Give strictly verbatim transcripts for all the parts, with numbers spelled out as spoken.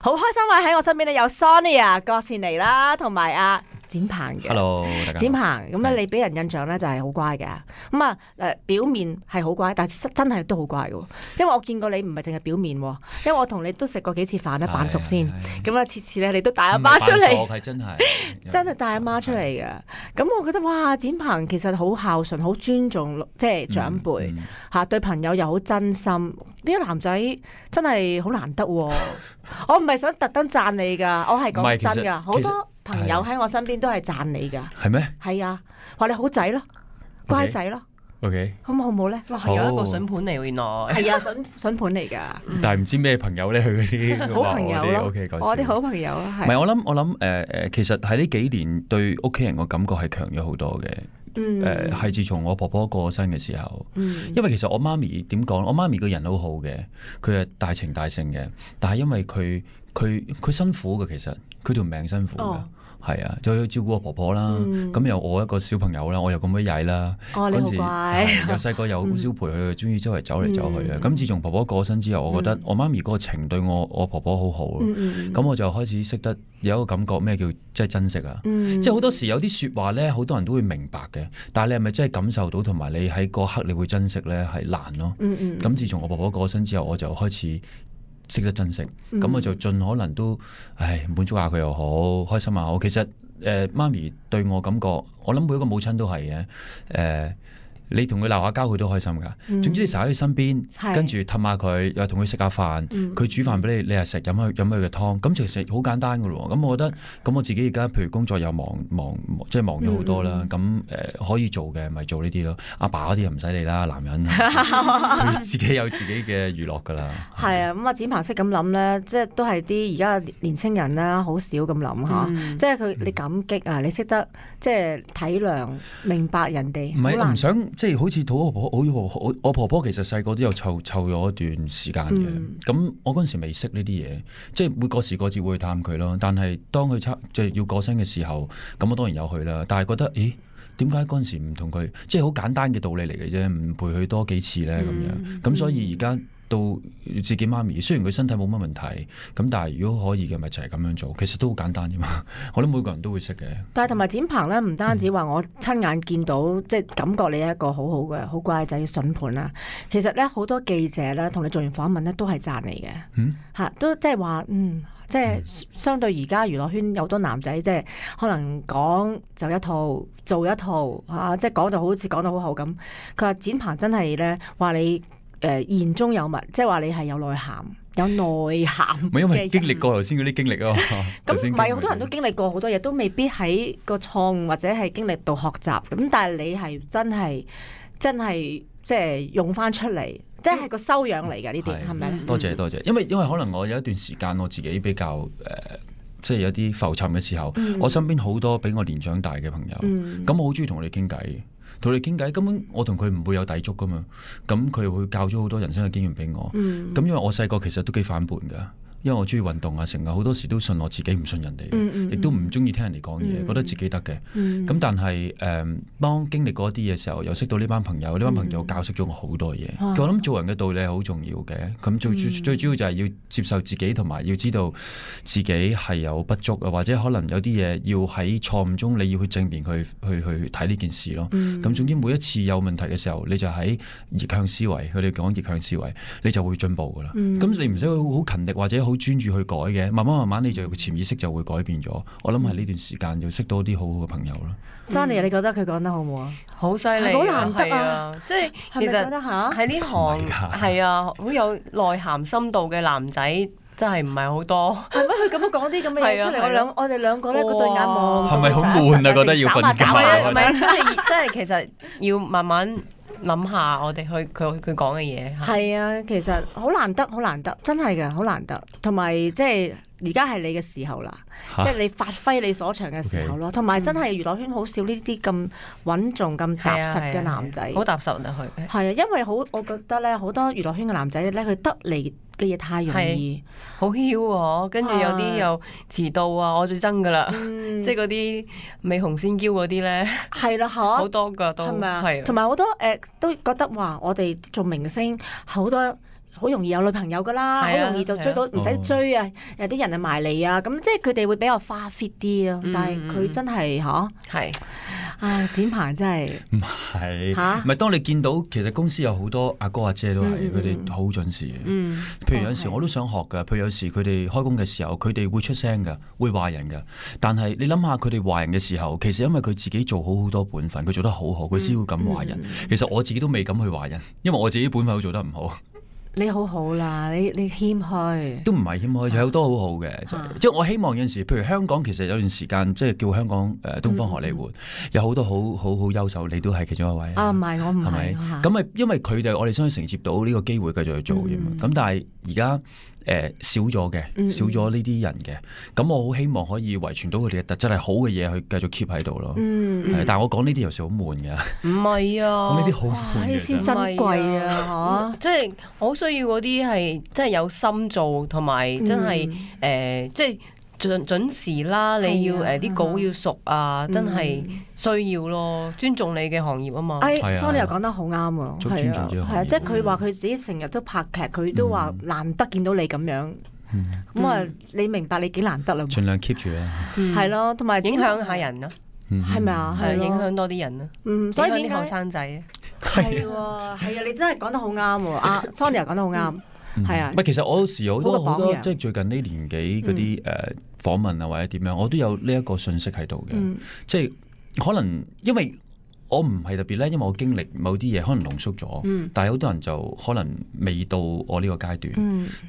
好開心啊！喺我身邊咧有 Sonia 郭善妮啦，同埋阿展鵬嘅。Hello，大家好。展鵬咁咧，你俾人印象咧就係好乖嘅。咁啊誒，表面係好乖，但係真係都好乖嘅。因為我見過你唔係淨係表面，因為我同你都食過幾次飯咧，扮熟先。咁啊，次次咧你都帶阿媽出嚟。唔係扮熟，係真係真係帶阿媽出嚟嘅。咁我覺得哇，展鵬其實好孝順，好尊重即係長輩嚇，對朋友又好真心。呢個男仔真係好難得喎。我唔係想特登讚你㗎，我係講真㗎，好多朋友喺我身邊都係讚你㗎。係咩？係啊，話你好仔咯，乖仔咯。OK，好唔好唔好咧？哇，係有一個筍盤嚟喎，原來係啊，筍筍盤嚟㗎。但係唔知咩朋友咧？佢嗰啲好朋友咯。OK，我啲好朋友啊，係。唔係我諗，我諗誒誒，其實喺呢幾年對屋企人個感覺係強咗好多嘅。誒係、呃、自從我婆婆過身嘅時候，嗯、因為其實我媽咪點講？我媽咪個人好好嘅，佢係大情大性嘅，但係因為佢佢佢辛苦嘅，其實佢條命辛苦嘅。哦係啊，就要照顧我婆婆啦，咁又、嗯、我一個小朋友啦，我又咁鬼曳啦，嗰陣時又細個又好少陪佢，中意周圍走嚟走去啊。咁、嗯、自從婆婆過身之後，我覺得我媽咪嗰個情對我我婆婆好好咯。咁、嗯嗯、我就開始識得有一個感覺，咩叫即係珍惜啊？嗯、即係好多時有啲說話咧，好多人都會明白嘅，但係你係咪真係感受到，同埋你喺嗰刻你會珍惜咧，係難咯。咁、嗯嗯、自從我婆婆過身之後，我就開始識得珍惜，咁、嗯、我就盡可能都，唉，滿足下佢又好，開心又好。其實，誒、呃，媽咪對我感覺，我諗每一個母親都係嘅，誒、呃。你同佢鬧下交，佢都開心噶。嗯、總之你成日喺佢身邊，是跟住氹下佢，又同佢食下飯。佢、嗯、煮飯俾你，你又食，飲佢飲佢嘅湯。咁其實好簡單噶咯。咁我覺得，咁我自己而家譬如工作又忙忙，即係忙咗好多啦。咁誒、嗯呃、可以做嘅咪做呢啲咯。阿爸嗰啲又唔使理啦，男人佢自己有自己嘅娛樂噶啦。係啊，咁啊展鵬識咁諗咧，即係都係啲而家年青人啦，好少咁諗嚇。嗯、即係佢你感激啊，你識得即係體諒、明白人哋。唔係唔想。即係好似我婆婆，好我婆婆其實細個都有湊湊咗一段時間嘅。咁、嗯、我嗰陣時未識呢啲嘢，即係會過時過節會去探佢咯。但係當佢即係要過身嘅時候，咁我當然有去啦。但係覺得，咦，點解嗰陣時唔同佢？即係好簡單嘅道理嚟嘅啫，唔陪佢多幾次咧咁樣。咁、嗯、所以而家到自己媽咪，雖然佢身體冇乜問題，咁但係如果可以嘅，咪就係咁樣做。其實都好簡單啫嘛。我諗每個人都會識嘅。但係同埋展鵬咧，唔單止話我親眼見到，嗯、即係感覺你係一個好好嘅、好乖仔筍盤啦。其實咧，好多記者咧同你做完訪問咧，都係讚你嘅。嗯，嚇都即係話，嗯，即係相對而家娛樂圈有好多男仔，即係可能講就一套，做一套嚇、啊，即係講就好似講得好好咁。佢話展鵬真係咧話你。誒、呃、言中有物，即係話你係有內涵，有內涵。唔係因為經歷過頭先嗰啲經歷啊嘛。咁唔係好多人都經歷過好多嘢，都未必喺個錯誤或者係經歷度學習。咁但係你係真係真係即係用翻出嚟，即係個修養嚟㗎呢啲，係咪咧？多謝多謝，因為因為可能我有一段時間我自己比較誒、呃，即係有啲浮沉嘅時候，嗯、我身邊好多比我年長大嘅朋友，咁、嗯、我好中意同佢哋傾偈。同你傾偈，根本我同佢唔會有抵觸噶嘛，咁佢會教咗好多人生嘅經驗俾我，咁、嗯、因為我細個其實都幾反叛噶。因為我中意運動啊，成日好多時都信我自己，唔信人哋，亦、嗯嗯、都唔中意聽人哋講嘢，嗯、覺得自己得嘅。咁、嗯、但係誒、嗯，當經歷過一啲嘅時候，又識到呢班朋友，呢班朋友教識咗我好多嘢。嗯、我諗做人嘅道理係好重要嘅。咁最、嗯、最主要就係要接受自己，同埋要知道自己係有不足啊，或者可能有啲嘢要喺錯誤中，你要去正面去去去睇呢件事咯。咁、嗯、總之每一次有問題嘅時候，你就喺逆向思維，佢哋講逆向思維，你就會進步噶啦。咁、嗯、你唔使好勤力或者好專注去改嘅，慢慢慢慢你就潛意識就會改變咗。我諗係呢段時間要識多啲好好嘅朋友咯。Sunny，你覺得佢講得好唔好啊？好犀利，好難得啊！即係其實喺呢行係啊，好有內涵深度嘅男仔真係唔係好多。係咩？佢咁樣講啲咁嘅嘢出嚟，我兩我哋兩個咧嗰對眼望，係咪好悶啊？覺得要瞓覺。唔係，真係真係，其實要慢慢諗下我哋去佢佢講嘅嘢。係啊，其實好難得，好難得，真係嘅，好難得。同埋即係而家係你嘅時候啦，即係你發揮你所長嘅時候咯。同埋真係娛樂圈好少呢啲咁穩重、咁踏實嘅男仔，好踏實就去。係啊，因為好，我覺得咧，好多娛樂圈嘅男仔咧，佢得嚟嘅嘢太容易，好囂喎。跟住有啲又遲到啊，我最憎噶啦，即係嗰啲美紅仙嬌嗰啲咧，係啦嚇，好多噶都係咪啊？同埋好多誒都覺得話，我哋做明星好多好容易有女朋友噶啦，好容易就追到，唔使追啊，有啲人啊埋嚟啊，咁即係佢哋會比較花 fit 啲咯。但係佢真係嚇係啊，展鵬真係唔係嚇，唔係當你見到其實公司有好多阿哥阿姐都係佢哋好準時嘅。嗯，譬如有時我都想學㗎，譬如有時佢哋開工嘅時候，佢哋會出聲㗎，會話人㗎。但係你諗下佢哋話人嘅時候，其實因為佢自己做好好多本分，佢做得好好，佢先會咁話人。其實我自己都未敢去話人，因為我自己本分都做得唔好。你好好啦，你你謙虛都唔係謙虛，有好多好好嘅，即係我希望有陣時，譬如香港其實有段時間即係叫香港誒東方荷里活，有好多好好好優秀，你都係其中一位啊。唔係我唔係，咁咪因為佢哋我哋想承接到呢個機會繼續去做啫嘛。咁但係而家誒少咗嘅，少咗呢啲人嘅，咁我好希望可以遺傳到佢哋嘅特質係好嘅嘢去繼續 keep 喺度咯。但係我講呢啲有時好悶嘅，唔係啊，講呢啲好悶嘅先珍貴啊，嚇！即係好需要嗰啲係真係有心做，同埋真係誒，即係準準時啦。你要誒啲稿要熟啊，真係需要咯。尊重你嘅行業啊嘛。誒，Sonia 又講得好啱喎，尊重咗。係啊，即係佢話佢自己成日都拍劇，佢都話難得見到你咁樣。咁啊，你明白你幾難得啦？盡量 keep 住啦。係咯，同埋影響下人咯。係咪啊？係影響多啲人咯。嗯，所以啲後生仔係喎，係啊！你真係講得好啱喎。阿 Sonia 講得好啱。係啊，唔係其實我有時好多好多即係最近呢年紀嗰啲誒訪問啊或者點樣，我都有呢一個信息喺度嘅，即係可能因為我唔係特別咧，因為我經歷某啲嘢可能濃縮咗，但係好多人就可能未到我呢個階段，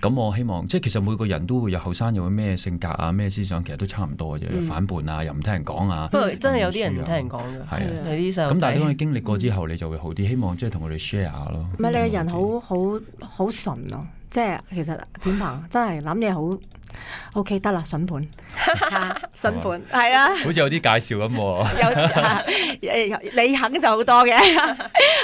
咁我希望即係其實每個人都會有後生有咩性格啊咩思想，其實都差唔多嘅啫，反叛啊又唔聽人講啊，不過真係有啲人唔聽人講嘅，係啊，有啲細路仔。咁但係當你經歷過之後，你就會好啲，希望即係同佢哋 share 下咯。唔係你個人好好好純咯。即係其實展鵬真係諗嘢好 OK 得啦，筍盤筍盤係啊，好似有啲介紹咁有你肯就好多嘅。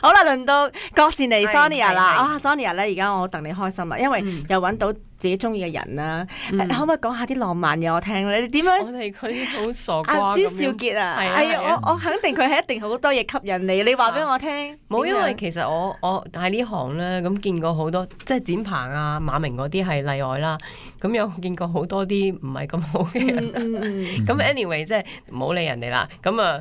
好啦，輪到郭善妮 Sonia 啦，啊 Sonia 咧，而家我戥你開心啊，因為又揾到自己中意嘅人啦。可唔可以講下啲浪漫嘢我聽咧？你點樣？我哋佢啲好傻瓜。朱少傑啊，係啊，我我肯定佢係一定好多嘢吸引你。你話俾我聽。冇，因為其實我我喺呢行咧，咁見過好多，即係展鵬啊、馬明嗰啲係例外啦。咁有見過好多啲唔係咁好嘅人。咁 anyway 即係唔好理人哋啦。咁啊。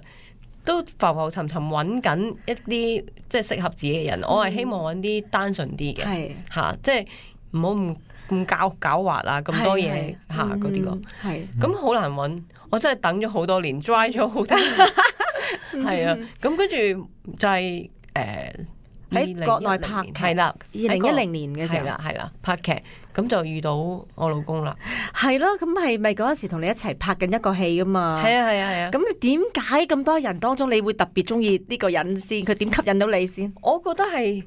都浮浮沉沉揾緊一啲即係適合自己嘅人，嗯、我係希望揾啲單純啲嘅，嚇是、啊，即係唔好咁咁狡狡猾啊，咁多嘢嚇嗰啲咯。係，咁好難揾，我真係等咗好多年 dry 咗好多年，係啊，咁跟住就係誒喺國內拍劇，係啦，二零一零年嘅時候，係啦，係啦，拍劇。咁就遇到我老公啦，係咯，咁係咪嗰陣時同你一齊拍緊一個戲噶嘛？係啊係啊係啊！咁你點解咁多人當中你會特別中意呢個人先？佢點吸引到你先？我覺得係誒、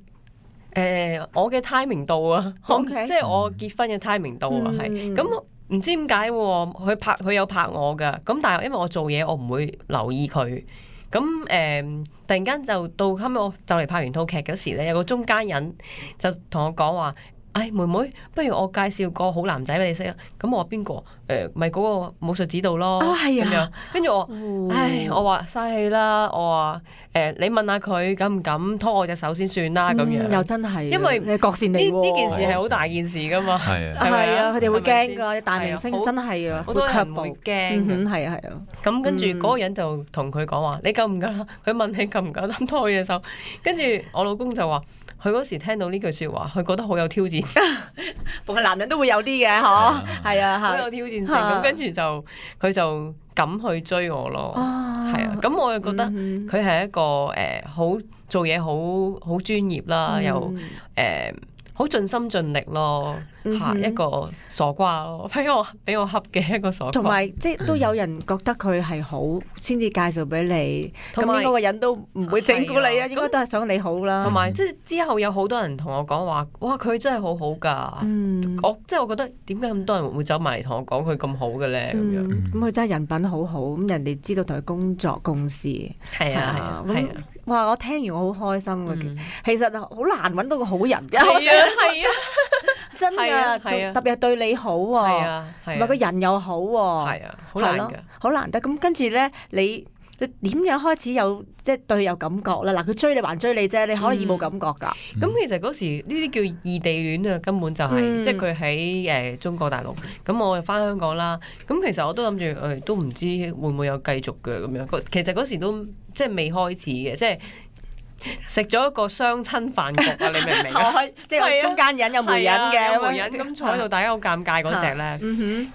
呃、我嘅 timing 到啊，Okay. 即係我結婚嘅 timing 到啊，係咁唔知點解佢拍佢有拍我噶，咁但係因為我做嘢我唔會留意佢，咁誒、呃、突然間就到後尾我就嚟拍完套劇嗰時咧，有個中間人就同我講話。唉，妹妹，不如我介紹個好男仔俾你識啊！咁我話邊個？誒，咪嗰個武術指導咯。啊，係啊。跟住我，唉，我話嘥氣啦。我話誒，你問下佢敢唔敢拖我隻手先算啦。咁樣又真係，因為你郭善妮呢呢件事係好大件事噶嘛。係啊，係啊，佢哋會驚㗎，大明星真係啊，好多人會驚。係啊係啊。咁跟住嗰個人就同佢講話：你夠唔夠啦？佢問你夠唔夠膽拖我隻手？跟住我老公就話。佢嗰時聽到呢句説話，佢覺得好有挑戰。逢係男人都會有啲嘅，嗬，係啊，好有挑戰性。咁跟住就佢就敢去追我咯。係啊，咁我又覺得佢係一個誒好做嘢好好專業啦，又誒好盡心盡力咯。嚇一個傻瓜咯，俾我俾我恰嘅一個傻瓜。同埋即係都有人覺得佢係好，先至介紹俾你。咁應該個人都唔會整蠱你啊，應該都係想你好啦。同埋即係之後有好多人同我講話，哇！佢真係好好㗎。嗯，我即係我覺得點解咁多人會走埋嚟同我講佢咁好嘅咧？咁樣咁佢真係人品好好，咁人哋知道同佢工作共事。係啊係啊，哇！我聽完我好開心嘅，其實好難揾到個好人嘅。係啊係啊，真㗎。係啊，特別係對你好喎，同埋個人又好喎，係啊，好難㗎，好難得。咁跟住咧，你你點樣開始有即係對佢有感覺咧？嗱，佢追你還追你啫，你可以冇感覺㗎。咁、嗯、其實嗰時呢啲叫異地戀啊，根本就係、是嗯、即係佢喺誒中國大陸，咁我又翻香港啦。咁其實我都諗住誒，都唔知會唔會有繼續嘅咁樣。其實嗰時都即係未開始嘅，即係。食咗一個相親飯局啊！你明唔明啊？即係中間人有媒人嘅，有媒人咁坐喺度，大家好尷尬嗰隻咧。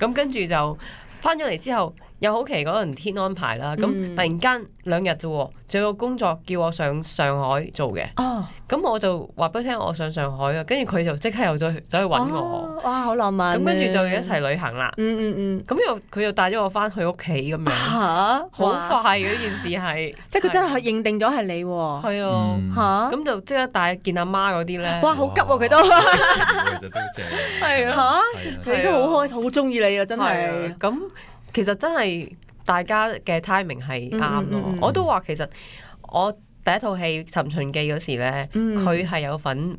咁跟住就翻咗嚟之後，又好奇嗰陣天安排啦。咁突然間兩日啫喎，仲有個工作叫我上上海做嘅。哦，咁我就話俾佢聽我上上海啊，跟住佢就即刻又走去走去揾我。哇，好浪漫！咁跟住就一齊旅行啦。嗯嗯嗯。咁又佢又帶咗我翻去屋企咁樣。嚇！好快嘅呢件事係，即係佢真係認定咗係你喎。係啊。嚇！咁就即刻帶見阿媽嗰啲咧。哇！好急喎佢都。其實都正。係啊。嚇！佢都好開，好中意你啊！真係。咁其實真係大家嘅 timing 係啱咯。我都話其實我第一套戲《尋秦記》嗰時咧，佢係有份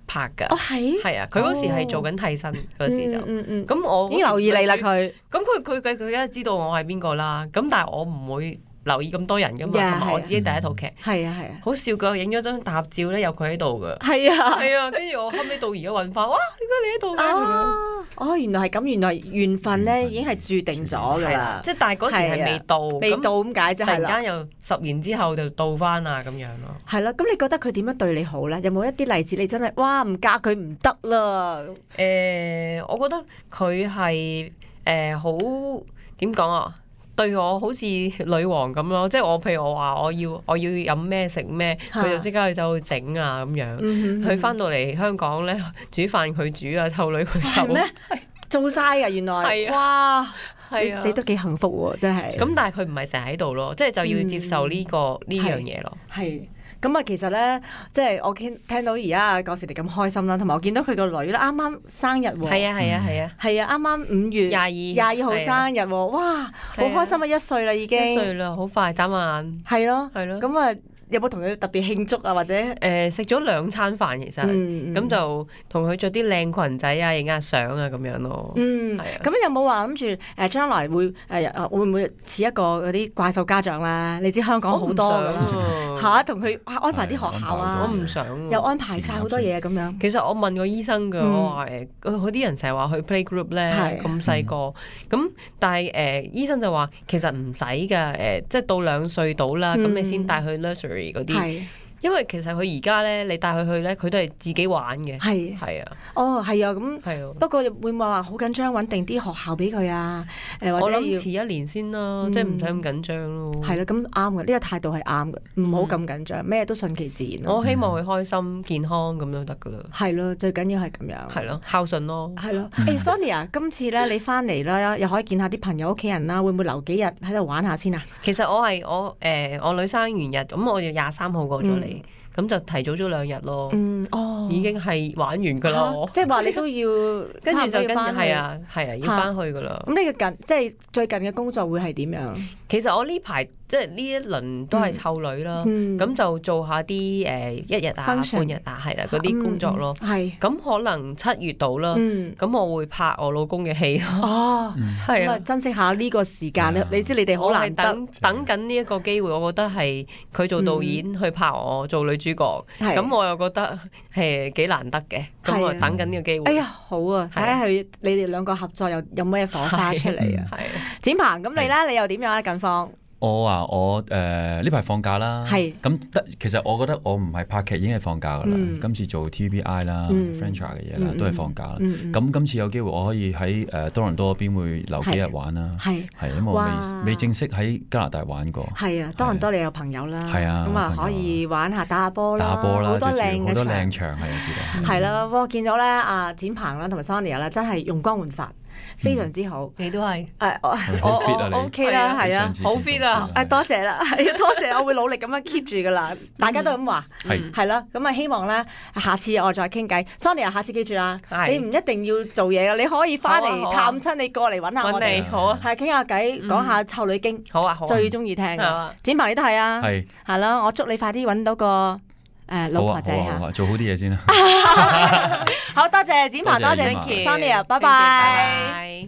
拍㗎。哦，係。係啊，佢嗰時係做緊替身嗰時就。嗯嗯。咁我已經留意你啦佢。咁佢佢佢佢梗係知道我係邊個啦。咁但係我唔會留意咁多人噶嘛，同埋我自己第一套劇，係啊係啊，好笑噶，影咗張大合照咧，有佢喺度噶，係啊係啊，跟住我後尾到而家揾翻，哇，點解你喺度嘅？哦，原來係咁，原來緣分咧已經係註定咗噶啦，即係但係嗰時係未到，未到咁解啫，突然間又十年之後就到翻啊咁樣咯。係咯，咁你覺得佢點樣對你好咧？有冇一啲例子你真係哇唔嫁佢唔得啦？誒，我覺得佢係誒好點講啊？對我好似女王咁咯，即係我譬如我話我要我要飲咩食咩，佢就即刻去走去整啊咁樣。佢翻到嚟香港咧，煮飯佢煮啊，湊女佢湊。係咩？做晒㗎原來。係啊。哇！你你都幾幸福喎，真係。咁但係佢唔係成日喺度咯，即係就要接受呢個呢樣嘢咯。係。咁啊，其實咧，即係我聽聽到而家郭士迪咁開心啦，同埋我見到佢個女咧，啱啱生日喎。係啊係啊係啊。係啊，啱啱五月廿二廿二號生日喎，哇，好開心啊！一歲啦已經。一歲啦，好快眨眼。係咯係咯。咁啊。有冇同佢特別慶祝啊？或者誒食咗兩餐飯，其實咁、嗯、就同佢着啲靚裙仔啊，影下相啊咁樣咯。嗯，係啊。咁有冇話諗住誒將來會誒、呃、會唔會似一個嗰啲怪獸家長啦？你知香港好多㗎啦嚇，同佢、啊、安排啲學校啊，我唔想、啊，又安排晒好多嘢咁樣。其實我問過醫生㗎，嗯、我話誒，嗰啲人成日話去 playgroup 咧，咁細個，咁、嗯、但係誒、呃、醫生就話其實唔使㗎，誒、呃、即係到兩歲到啦，咁、嗯、你先帶去 nursery。嗰啲，因為其實佢而家咧，你帶佢去咧，佢都係自己玩嘅。係係啊，哦係啊，咁係啊。不過會唔會話好緊張，揾定啲學校俾佢啊？誒，或者我諗遲一年先啦，即係唔使咁緊張咯。係啦，咁啱嘅，呢個態度係啱嘅，唔好咁緊張，咩都順其自然。我希望佢開心健康咁樣得噶啦。係咯，最緊要係咁樣。係咯，孝順咯。係咯。誒，Sonia，今次咧你翻嚟啦，又可以見下啲朋友屋企人啦，會唔會留幾日喺度玩下先啊？其實我係我誒我女生完日，咁我要廿三號過咗嚟。咁就提早咗兩日咯，嗯，哦，已經係玩完噶啦，即係話你都要跟住就跟住係啊，係啊，要翻去噶啦。咁呢個近即係最近嘅工作會係點樣？其實我呢排即係呢一輪都係湊女啦，咁就做下啲誒一日啊、半日啊，係啦嗰啲工作咯。係咁可能七月到啦，咁我會拍我老公嘅戲咯。哦，係啊，珍惜下呢個時間。你知你哋好難得等等緊呢一個機會，我覺得係佢做導演去拍我做女主角，咁我又覺得係幾難得嘅。咁我等緊呢個機會。哎呀，好啊，睇下佢你哋兩個合作又有咩火花出嚟啊？係展鵬，咁你咧你又點樣啊？近況？我話我誒呢排放假啦，咁得其實我覺得我唔係拍劇已經係放假噶啦，今次做 T V B I 啦、franchise 嘅嘢啦，都係放假啦。咁今次有機會我可以喺誒多倫多嗰邊會留幾日玩啦，係係因為我未未正式喺加拿大玩過。係啊，多倫多你有朋友啦，係啊，咁啊可以玩下打下波啦，打波啦，好多靚好多靚場係知道。係啦，我見到咧阿展鵬啦同埋 Sonia 啦，真係容光煥發。非常之好，你都係誒我我 OK 啦，係啊，好 fit 啊！誒多謝啦，係啊，多謝，我會努力咁樣 keep 住噶啦，大家都咁話，係係啦，咁啊希望咧下次我再傾偈 ，Sonia 下次記住啦，你唔一定要做嘢噶，你可以翻嚟探親，你過嚟揾下我哋，好啊，係傾下偈，講下臭女經，好啊，最中意聽嘅，展鵬你都係啊，係係啦，我祝你快啲揾到個誒老婆仔嚇，做好啲嘢先啦，好多謝展鵬，多謝 Sonia，拜拜。